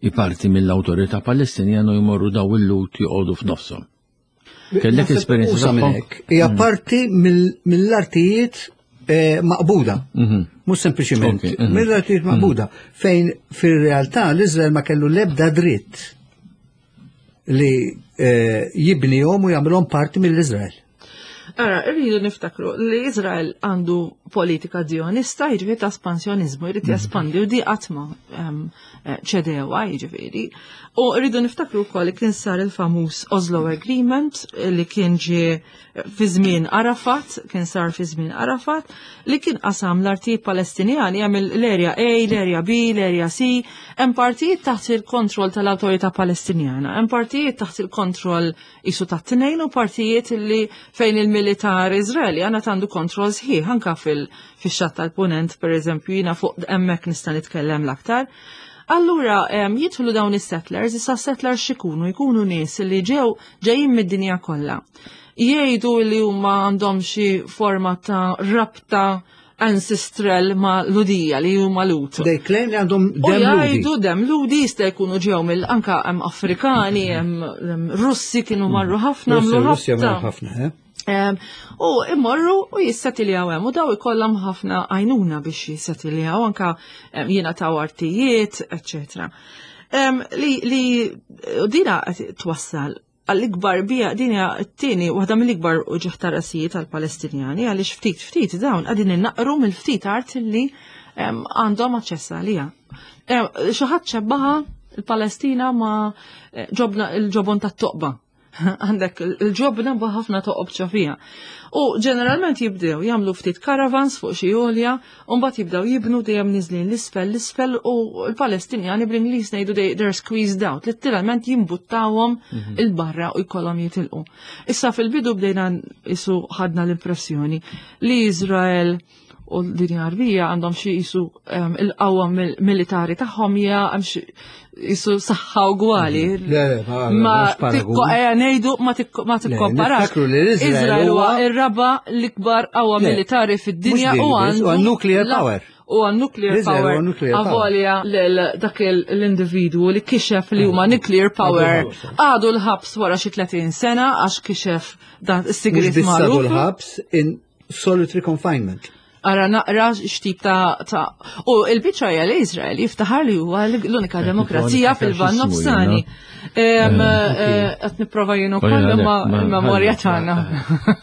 iparti mill-awtorità Palestinjana u jmorru daw il-lut joqogħdu f'nofshom. Kellek Naħseb esperjenza usa minn tagħhom? hekk. Hija parti mill-artijiet maqbuda. Mhux sempliċiment. Mill-artijiet maqbuda. Fejn fir-realtà l-Iżrael ma kellu l-ebda dritt li jibnihom u jagħmilhom parti mill-Iżrael. Ara, irridu niftakru li Iżrael għandu politika zionista, jiġifieri ta' espansjonizmu, jrid jespandi u di qatt ma ċedewa, jiġifieri. U rridu niftakru wkoll li kien sar il-famuż Oslo Agreement li kien ġie fi żmien Arafat, kien sar fi żmien Arafat, li kien qasam l-artijiet Palestinjani hemm l-area A, l-area B, l-area C, hemm partijiet taħt il-kontroll tal-Awtorità Palestinjana, hemm partijiet taħt il-kontroll isu ta' tnejn u partijiet li fejn il-militar Iżraeli għandna għandu kontroll sħiħ anka fix-xatt tal-Punent, per eżempju, jiena fuq hemmhekk nista' nitkellem l-aktar. Allura, jidħlu dawn is-settlers, issa settlers x'ikunu? Jkunu nies li ġejjin mid-dinja kollha. Jgħidu li huma għandhom xi forma ta' rabta ancestral ma' Ludija li huma Lut. They claim li għandhom U dem Ludi. jgħidu dem Ludi jista' jkunu ġew mill anka hemm Afrikani, hemm Russi kienu marru ħafna, Russi, għamlu Russi ħafna. marru ħafna? U immorru u jissetiljaw hemm u daw ikollhom ħafna għajnuna biex jissetiljaw anka jingħataw artijiet, eċċetera. Li dina qed twassal għall-ikbar bija din hija t-tieni waħda mill-ikbar uġigħ ta' rasijiet għall-Palestinjani għaliex ftit ftit dawn qegħdin innaqru mill-ftit art li għandhom aċċess għaliha. Xi ħadd xebbaha il-Palestina ma' ġobna il-ġobon tat-toqba. Għandek il-ġobna b'ħafna toqob ġo fiha. U ġeneralment jibdew jagħmlu ftit caravans fuq xi għolja, u mbagħad jibdew jibnu dejjem niżlin l-isfel, l-isfel, u l-Palestinjani bl-Ingliż ngħidu they're squeezed out, letteralment jimbuttawhom il-barra u jkollhom jitilqu. Issa fil-bidu bdejna isu ħadna l-impressjoni li Iżrael u l-dinja Għarbija għandhom xi qisu il-qawwa militari tagħhom hija hemm xi qisu saħħa ugwali. Le, Ma tikko ejja ngħidu ma tikkomparax. niftakru li l-Iżrael Iżrael huwa huwa- ir-raba l-ikbar qawwa Le, militari fid-dinja mhux u dik biss, għandu huwa nuclear power. U għan nuclear L-Iżrael power huwa nuclear power. avolja lil dak l-individwu li kixef li huma nuclear power għadu l-ħabs wara xi 30 sena għax kixef dan Mhux is-sigriet biss għadu magħruf. l-ħabs in solitary confinement. Ara naqra x'tip ta' ta' u l-biċċa hija li Iżrael jiftaħar li huwa l-unika demokrazija niftakar fil-Lvant x'ismu Nofsani. jiena. Qed nipprova jien ukoll imma il-memorja tagħna.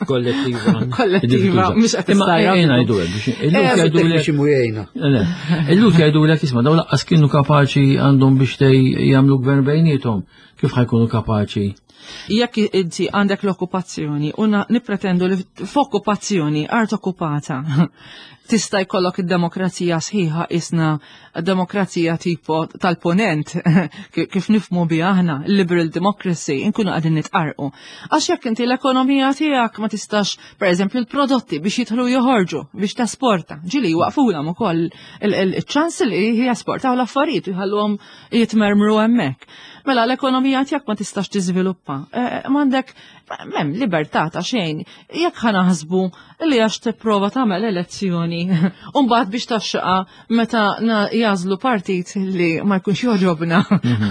Kollettiva. Kollettiva, mhux qed Imma tissarraf. ejja ngħidu hekk biex illum jgħidu Tekniċi mujejna. Le, Illum jgħidu lek isma' dawn laqqas kienu kapaċi għandhom biex tej jagħmlu gvern bejniethom. Kif ħajkunu kapaċi? Jekk inti għandek l-okkupazzjoni u nippretendu li f'okkupazzjoni art okkupata tista' jkollok id-demokrazija sħiħa isna demokrazija tipo tal-ponent kif nifmu biha aħna liberal democracy inkunu qegħdin nitqarqu. Għax jekk inti l-ekonomija tiegħek ma tistax pereżempju l-prodotti biex jidħlu joħorġu biex tesporta, ġili waqfulhom ukoll il-ċans li jesportaw l-affarijiet u jħalluhom jitmermru hemmhekk. Mela l-ekonomija tiegħek ma tistax tiżviluppa. M'għandek m'hemm libertà ta' xejn. Jekk ħa naħsbu li għax tipprova tagħmel elezzjoni u mbagħad biex taxxaqa meta jażlu partit li ma jkunx jogħġobna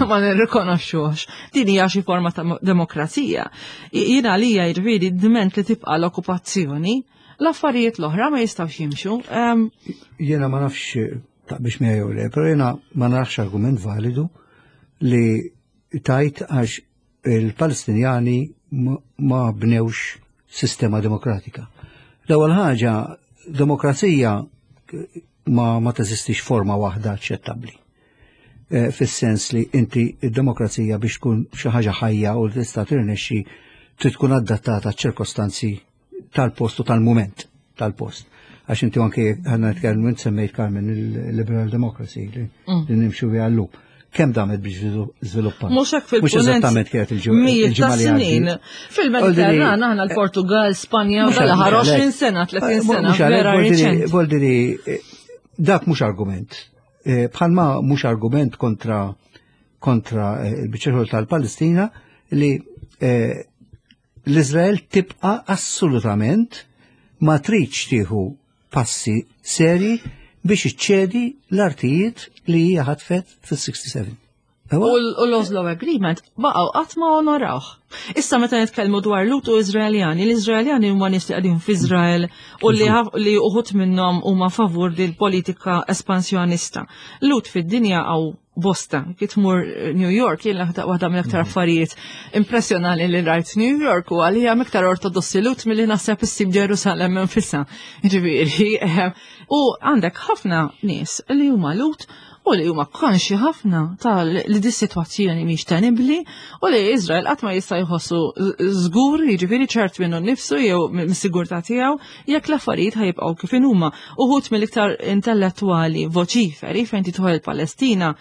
ma nirrikonoxxux. Din hija xi forma ta' demokrazija. Jiena għalija jiġifieri dment li tibqa' l-okkupazzjoni, l-affarijiet l-oħra ma jistgħux jimxu. Jiena ma nafx ta' biex miegħi jew le, però jiena ma nafx argument validu li tajt għax il-Palestinjani ma bnewx sistema demokratika. L-ewwel ħaġa, demokrazija ma teżistix forma waħda aċċettabbli. Fis-sens li inti id-demokrazija biex tkun xi ħaġa ħajja u li tista' tirnexxi trid tkun adattata ċ-ċirkostanzi tal-post u tal-mument tal-post. Għax inti anke għandna nitkellmu int semmejt Carmen il-liberal democracy li nimxu biha llum. Kemm damet biex żviluppat? Mhux hekk fil-punent. Mhux eżattament kienet Mijiet il-ġimgħa ta' li snin. għaddiet. Fil-Mediterran aħna l-Portugal, Spanja, u Mhux dal-aħħar għalhekk. 20 sena, 30 sena, Mhux għalhekk, vera riċenti. vuol dire, dak mhux argument. Bħalma mhux argument kontra il-biċċa xogħol tal-Palestina li l-Izrael tibqa' assolutament ma tridx tieħu passi seri biex iċċedi l-artijiet li hija ħatfet fis-67. U l-Oslo Agreement baqgħu qatt ma onorawh. Issa meta nitkellmu dwar Lut u Iżraeljani, l-Iżraeljani huma nies li qegħdin f'Iżrael u li uħud minnhom huma favur din politika espansjonista. Lut fid-dinja hawn bosta, kif tmur New York, jien waħda mill-aktar affarijiet impressjonali li rajt New York u għalija iktar ortodossi Lut milli naħseb issib Ġerusalem infisha. Ġifieri, u għandek ħafna nies li huma Lut u li huma konxi ħafna ta' li di sitwazzjoni mhix tenibbli u li Izrael qatt ma jista' jħossu żgur, jiġifieri ċert minnu nnifsu jew mis-sigurtà tiegħu jekk l-affarijiet ħajibqgħu kif inhuma. Uħud mill-iktar intellettwali voċiferi fejn tidħol il-Palestina,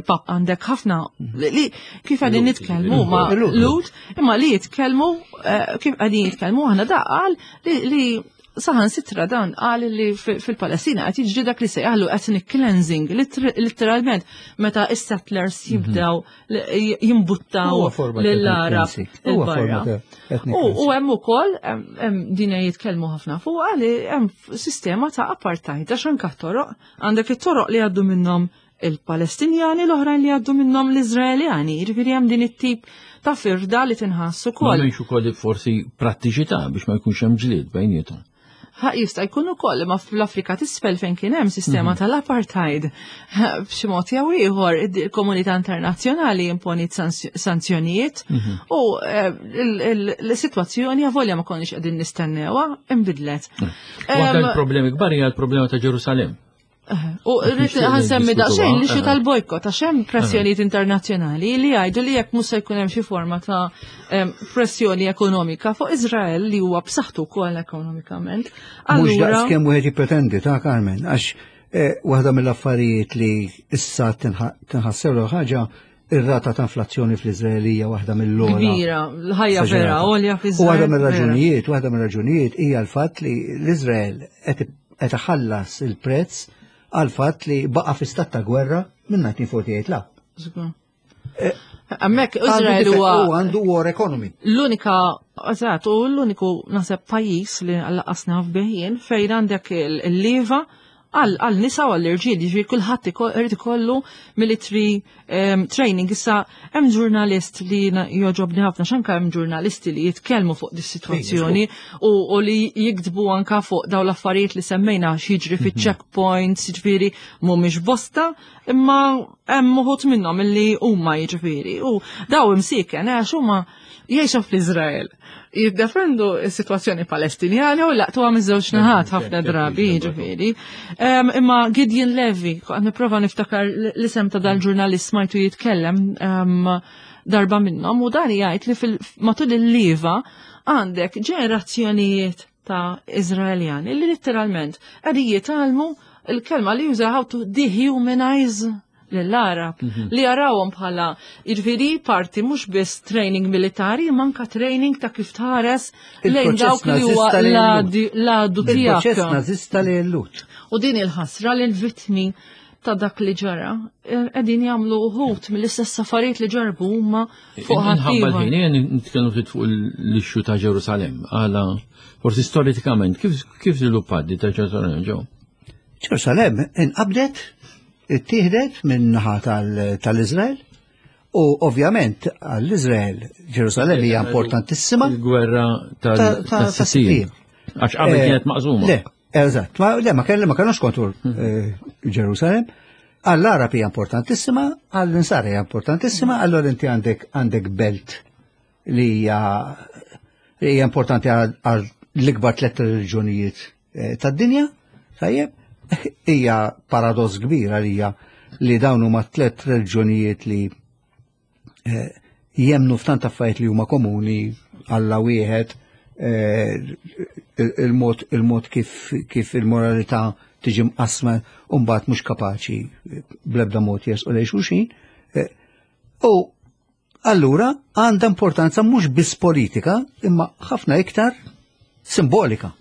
pap għandek ħafna li kif qegħdin nitkellmu ma' Lut, imma li jitkellmu kif qegħdin jitkellmu aħna da qal li saħan sitra dan qal li fil-Palestina qed jiġri dak li sejjaħlu ethnic cleansing, literalment meta is-settlers jibdew jimbuttaw Huwa forma ta' lill-Arab ethnic cleansing. Huwa forma il-barra. ta' ethnic U cleansing. hemm ukoll hemm din jitkellmu ħafna fuqha li hemm sistema ta' apartheid għax anke toroq għandek it-toroq li għaddu minnhom il-Palestinjani, l-oħrajn li għaddu minnhom l-Iżraeljani, jiġifieri hemm din it-tip ta' firda li tinħass ukoll. Ma m'hemmx ukoll forsi prattiċità biex ma jkunx hemm ġlied bejniethom. Ha, jista' jkun ukoll, imma fl-Afrika t'isfel fejn kien hemm sistema tal-apartheid, b'xi mod jew ieħor il-komunità internazzjonali imponiet sanzjonijiet u l-sitwazzjoni avolja ma konniex qegħdin nistennewha inbidlet. Waħda l-problemi kbar hija l-problema ta' Ġerusalem. U rrid Nixtieq ħansemmi niddiskutuha. daqsxejn li xi tal-bojkot, għax hemm pressjonijiet internazzjonali li jgħidu li jekk mhux se jkun hemm xi forma ta' pressjoni ekonomika fuq Iżrael li huwa b'saħħtu wkoll ekonomikament. Mhux Allura daqs kemm wieħed jippretendi ta' Carmen, għax waħda mill-affarijiet li issa tinħassew l ħaġa ir-rata ta' inflazzjoni fl-Iżraelija waħda mill-ogħla. Kbira, l-ħajja vera Esaġerata. għolja U fl-Iżrael, waħda vera. mir-raġunijiet, waħda mir-raġunijiet hija l-fatt li l-Iżrael qed qed iħallas il-prezz għal fatt li baqa' fi stat ta' gwerra minn 1948 la. Eh, Hemmhekk Izrael huwa għandu war economy. L-unika, eżatt, u l-uniku naħseb pajjiż li laqas naf bih jien fejn għandek il-leva għal nisa u għall-irġiel, jiġifieri kulħadd irid ikollu military training. Issa hemm ġurnalist li jogħġobni ħafna x'anka hemm ġurnalisti li jitkellmu fuq dis-sitwazzjoni u li jiktbu anka fuq dawn l-affarijiet li semmejna x'jiġri fiċ-checkpoints, jiġifieri mhumiex bosta, imma hemm uħud minnhom illi huma jiġifieri u daw imsieken għax huma jgħixu fl-Iżrael. Jiddefendu s-sitwazzjoni Palestinjana u laqtuha miż-żewġ naħat ħafna drabi jiġifieri. Imma Gideon Levy, qed nipprova niftakar l-isem ta' dal-ġurnalist smajtu jitkellem darba minnhom u dan jgħid li matul il-liva għandek ġenerazzjonijiet ta' Iżraeljani li litteralment qegħdin jitgħallmu il-kelma li juża how to dehumanize lill-Arab li jarawhom bħala jiġifieri parti mhux biss training militari imma anka training ta' kif tħares lejn dawk li huwa l-għadu tiegħek. Il-proċess nażista li l-Lhud. U din il-ħasra li l-vittmi ta' dak li ġara qegħdin jagħmlu uħud mill-istess affarijiet li ġarbu huma fuq ħaddieħor. Ħin nitkellmu ftit fuq l-ixxu ta' Ġerusalem. Għala forsi storikament kif kif żviluppat di ta' Ġerusalem ġew? Ġerusalem inqabdet, ittieħdet minn naħa tal-Iżrael u ovvjament għall-Iżrael Ġerusalem hija importantissima. Il-gwerra tas-Sittin. Għax qabel eh, kienet maqsuma. Le, Eżatt, ma le ma kelli ma kellux kontur eh, Ġerusalem. Għall-Arab hija importantissima, għall-Insara hija importantissima, allora inti għandek għandek belt li hija li hija importanti għal l-ikbar tliet reliġjonijiet eh, tad-dinja, tajjeb, hija paradoss kbir għalija li dawn huma tliet reliġjonijiet li eh, jemnu f'tant affarijiet li huma komuni Alla wieħed eh, il-mod il-mod kif kif il-moralità tiġi mqasma u mbagħad mhux kapaċi bl-ebda mod jersqu lejn xulxin. Eh, u allura għandha importanza mhux biss politika imma ħafna iktar simbolika.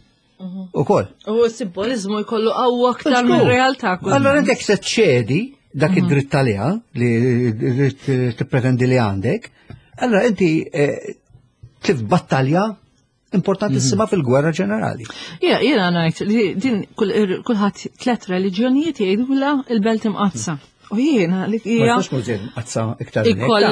Ukoll. U s-simbolizmu jkollu qawwa aktar mir-realtà. Allora inti jekk se ċedi dak mhm. id-dritt għaliha li tippretendi li għandek, allora inti eh, tlif battalja importantissima mhm. fil-gwerra ġenerali. Ja, jiena ngħid li din kulħadd tliet reliġjonijiet jgħidula il-belt imqazza. U jiena li hija. Ma iktar. Ikoll,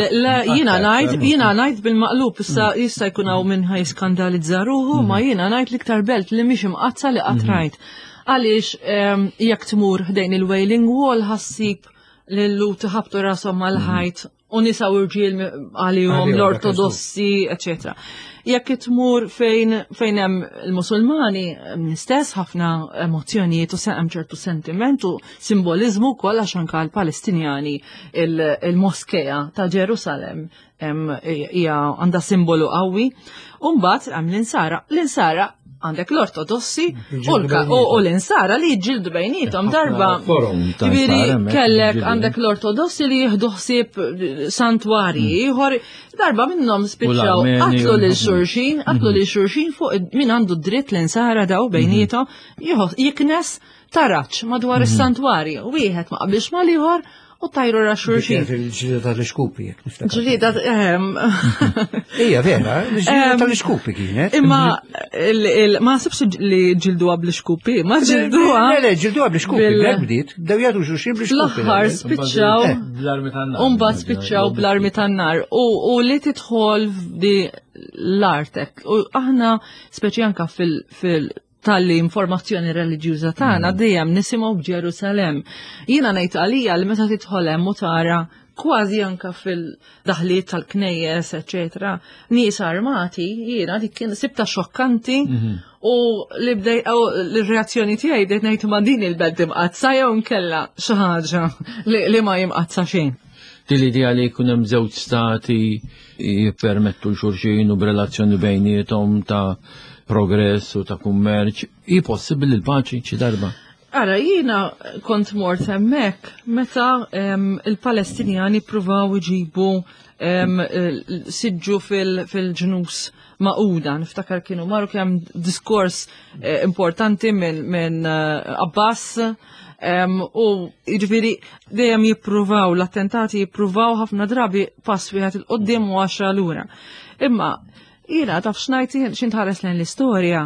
jiena ngħid, jiena ngħid bil-maqlub issa mm. jista' jkun hawn minn ħaj skandalizza ruħu, ma mm. jiena ngħid l-iktar belt li mhix imqazza li qatt mm. rajt. Għaliex ehm, jekk tmur ħdejn il-Wailing Wall ħassib lillu tħabtu rashom mal-ħajt u nisa u rġiel għalihom l-ortodossi, eccetera. Jekk tmur fejn fejn hemm il-Musulmani stess ħafna emozzjonijiet u hemm ċertu sentiment u simboliżmu wkoll għax anke l-Palestinjani il-moskea ta' Ġerusalem hija għandha simbolu qawwi. U mbagħad hemm l-insara. L-insara għandek l-ortodossi u l-insara li jġildu bejnietom darba. Ġifieri kellek għandek l-ortodossi li jieħdu ħsieb santwarji mm. ieħor darba minnhom spiċċaw qatlu lil xulxin, qatlu lil xulxin fuq min għandu dritt l-insara daw bejnietom jiknes taraċ madwar mhm. is-santwarji. Wieħed ma qabilx mal-ieħor u tajru ra xulxin. Il-ġlieda tal-iskuppi, jek niftakar. Ġlieda, ehm. Ija, vera, il-ġlieda ehm, tal-iskuppi kienet. Imma ma sibx li ġilduha bl-iskuppi, ma ġilduha. Le, le, ġilduha bl-iskuppi, bl bdiet, bdew jagħtu xulxin bl-iskuppi. L-aħħar spiċċaw. Eh. Bl-armi tan-nar. Umbagħad spiċċaw bl-armi tan-nar. U li tidħol di l-artek. U aħna speċi anka fil tal-li informazzjoni reliġjuża tagħna mm. dejjem nisimgħu b'Ġerusalemm. Jiena ngħid għalija li meta tidħol hemm u tara kważi anka fil-daħliet tal-knejjes, eċetera, nies armati, jiena dik kien sibta xokkanti mhm. u li bdej l-reazzjoni tiegħi bdejt ngħid ma din il-belt imqazza jew nkella xi ħaġa li ma jimqazza xejn. Din l-idea li jkun hemm żewġ stati jippermettu l-xulxin u b'relazzjoni bejniethom ta' progress u ta' kummerċ, hi possibbli l-paċi xi darba? Ara, jiena kont mort hemmhekk meta il-Palestinjani pruvaw iġibu siġġu fil-ġnus maquda. Niftakar kienu marru kemm diskors eh, importanti minn eh, Abbas u jiġifieri dejjem jippruvaw l-attentati jippruvaw ħafna drabi pass wieħed il-qoddim u għaxra lura. Imma jiena taf x'ngħid x'intħares lejn l-istorja,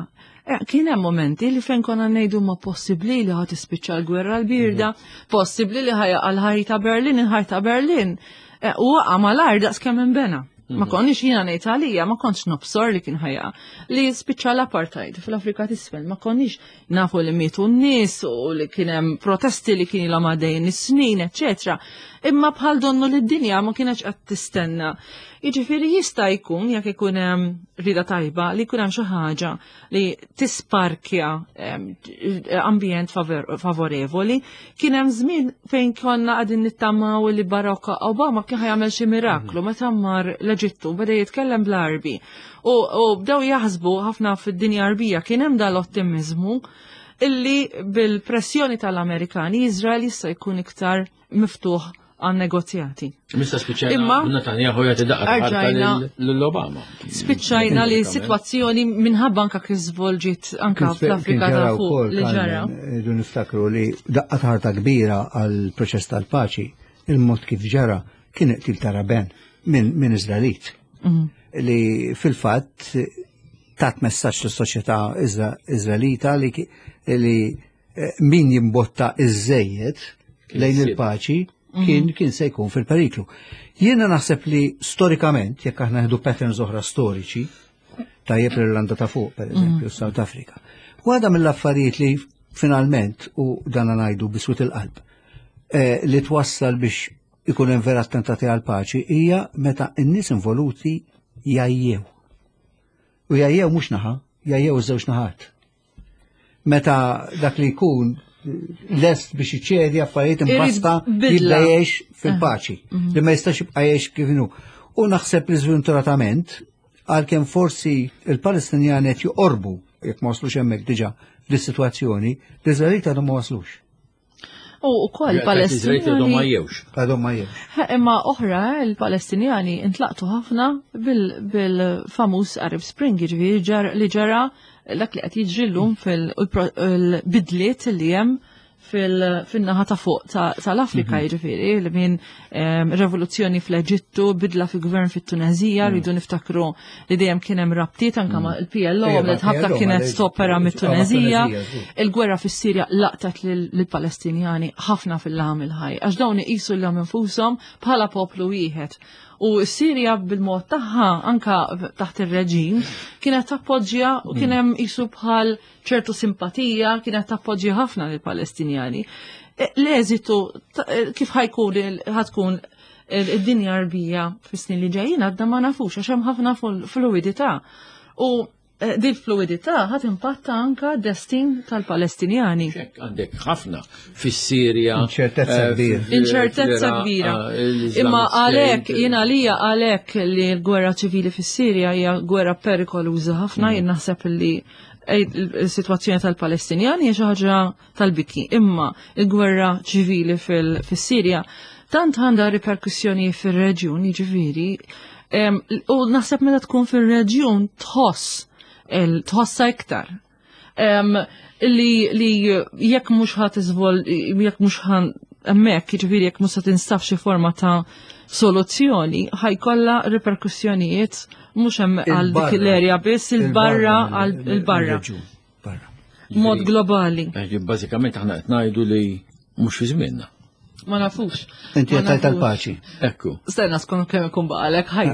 eh, kien hemm momenti li fejn konna ngħidu ma possibbli li ħad tispiċċa l-gwerra l-birda, mhm. possibbli li ħajja għal ta' Berlin, il-ħajta ta' Berlin. Eh, u waqa' mal-art daqs kemm inbena. Ma mhm. konniex jiena ngħid għalija, ma kontx nobsor li kien ħajja li spiċċa l-apartheid fl-Afrika t'isfel, ma konniex nafu li mietu n-nies u li kien hemm protesti li kien ilhom għaddejjin is-snin, eċetera. Imma bħal donnu li d-dinja ma kienx qed tistenna. Jiġifieri jista' jkun jekk ikun hemm rida tajba li jkun hemm xi ħaġa li tisparkja ambjent favorevoli. Kien hemm żmien fejn konna qegħdin nittamaw li Barack Obama kien ħajamel xi miraklu meta mar l-Eġittu beda jitkellem bl-Arbi. U bdew jaħsbu ħafna fid-dinja Arbija kien hemm dal-ottimizmu illi bil-pressjoni tal-Amerikani Izrael jista' jkun iktar miftuħ għan negozjati. Mista spiċċajna Imma Netanyahu jagħti daqqa l-Obama. Spiċċajna li situazzjoni minħabba anka kif żvolġiet anka fl-Afrika ta' fuq li ġara. Idu niftakru li daqqa ħarta kbira għal proċess tal-paċi, il-mod kif ġara kien qtil ta' Raben minn Izraelit. Mhm. Li fil-fatt tat messaġġ lis-soċjetà Izraelita li eh, min jimbotta iż-żejjed lejn il-paċi mhm. kien kien se jkun fil-periklu. Jiena naħseb li storikament, jekk aħna ħdu patterns oħra storiċi, tajjeb l-Irlanda ta' fuq, per eżempju, mhm. South Africa. Waħda mill-affarijiet li finalment, u dan ngħidu biswit il-qalb, eh, li twassal biex ikun hemm vera attentati għal paċi hija meta n-nies involuti jajjew. U jajjew mhux naħa, jajjew iż-żewġ naħat. Meta dak li jkun lest biex iċedi affarijiet imbasta jibda jgħix fil-paċi, ah. mhm. li ma jistax jibqa' jgħix kif inhu. U naħseb li żventuratament għalkemm forsi il-Palestinjani qed joqorbu jekk ma waslux hemmhekk diġà dis-sitwazzjoni, l-Iżraelit għadhom ma waslux. U wkoll Palestinjani. Għadhom ma jewx. Għadhom ma jewx. Imma oħra il-Palestinjani intlaqtu ħafna bil-famuż Arab Spring, jiġifieri li ġara dak li qed jiġri llum fil-bidliet li hemm fil-naħa ta' fuq tal-Afrika, mhm. jiġifieri li minn ehm, revoluzzjoni fl-Eġittu, bidla fil-gvern fit-Tunezija, mhm. rridu niftakru li dejjem kien hemm rabtiet anke ma' mm. il-PLO għamlet ħabta kienet stopera mit-Tunezija. Il-gwerra fis-Sirja laqtet lill-Palestinjani ħafna fil-laħam il-ħaj, għax dawn iqisu lilhom infushom bħala poplu wieħed. U s-Sirja bil-mod tagħha anka taħt ir-reġim kienet tappoġġja u kien mm. hemm qisu bħal ċertu simpatija kienet tappoġġja ħafna lill-Palestinjani. E, l-eżitu e, kif ħajkun ħatkun id-dinja arbija fis-snin li ġejjin għadna ma nafux għax hemm ħafna fluidità. U eh, din fluidità ħat impatta anka destin tal-Palestinjani. Għandek ħafna fis-Sirja. Inċertezza eh, kbira. Inċertezza kbira. Eh, Imma għalhekk jien għalija għalhekk li l-gwerra ċivili fis-Sirja hija gwerra perikoluża ħafna, mm. jien naħseb li il-situazzjoni tal-Palestinjani hija xi ħaġa tal-biki. Imma il-gwerra ċivili fis-Sirja tant għandha riperkussjoni fir-reġjun, jiġifieri, u naħseb meta tkun fir-reġjun tħoss tħossa iktar. Li, li jekk mhux ħadd iżvol, jekk mhux ħan hemmhekk, jiġifieri jekk mhux se tinstab xi forma ta' soluzzjoni, ħajkollha riperkussjonijiet mhux hemm għal dik l-erja biss il-barra għal il-barra. Mod globali. Eh, bażikament aħna qed ngħidu li mhux fi żmienna. Ma nafux. Inti qed tal-paċi. Ekku. Stenna skont kemm ikun baqalek ħaj.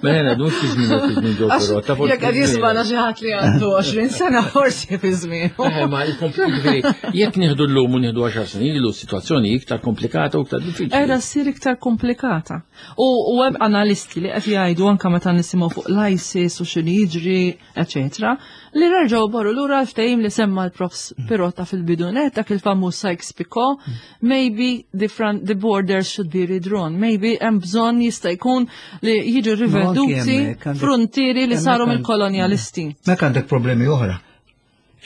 Mela mhux fi żmien fi żmien ġew però. Jekk qed jismana xi ħadd li għandu 20 sena forsi fi żmien. Eh, ma il-komplikazzjoni jekk nieħdu llum u nieħdu 10 snin ilu s-sitwazzjoni iktar komplikata u iktar diffiċli. Qiegħda ssir iktar komplikata. U hemm analisti li qed jgħidu anke meta nisimgħu fuq l-ISIS u x'inhu jiġri eċetera, li reġgħu borru lura l-ftehim li semma l-profs Pirotta fil-bidunet, dak il-famuż Sykes-Picot, maybe the, front, the borders should be redrawn, maybe hemm bżonn jista' jkun li jiġu riveduti frontieri li saru mill-kolonjalisti. Mek għandek problemi oħra.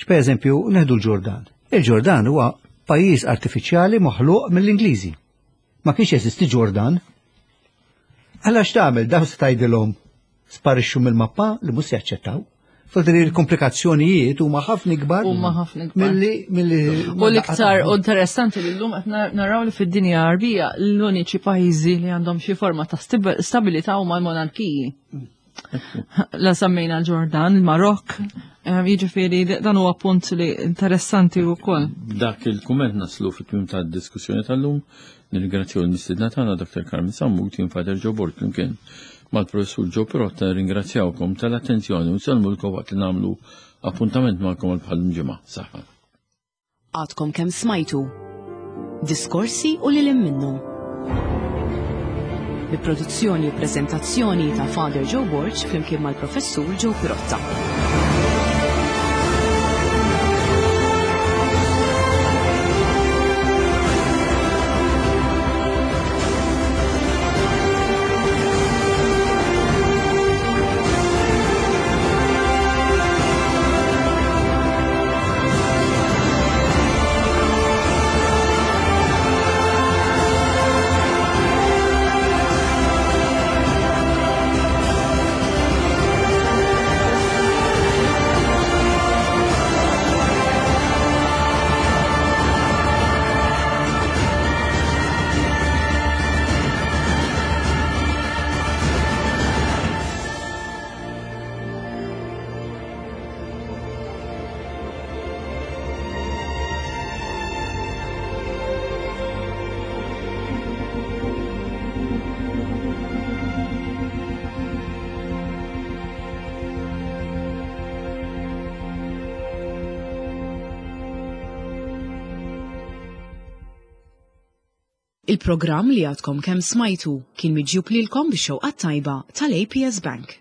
Per eżempju, neħdu l-Ġordan. Il-Ġordan huwa pajjiż artifiċjali maħluq mill-Ingliżi. Ma kienx jeżisti Ġordan. Alla x'tagħmel dawn se tgħidilhom sparixxu mill-mappa li mhux se jaċċettaw. Fodri l-komplikazzjonijiet huma ħafna ikbar. Huma ħafna ikbar. Milli milli U l-iktar interessanti li llum qed naraw li fid-dinja Għarbija l-uniċi pajjiżi li għandhom xi forma ta' stabilità huma l-monarkiji. La semmejna l-Ġordan, il-Marokk, eh, jiġifieri dan huwa punt li interessanti wkoll. Dak il-kumment naslu fit-tmiem tad-diskussjoni tal-lum. Nirringrazzjaw il-mistiedna tagħna Dr. Carmen Sammut, jien Father Joe Borg flimkien mal-Professur Joe Pirotta nirringrazzjawkom tal-attenzjoni u nsellmulkom waqt li nagħmlu appuntament magħkom għal bħal ġimgħa. Saħħa. Għadkom kemm smajtu diskorsi u lil minnhom. Bi produzzjoni u preżentazzjoni ta' Father Joe Borg flimkien mal-Professur Joe Pirotta. Il-programm li għadkom kemm smajtu kien miġjub lilkom bix-xewqa tajba tal-APS Bank.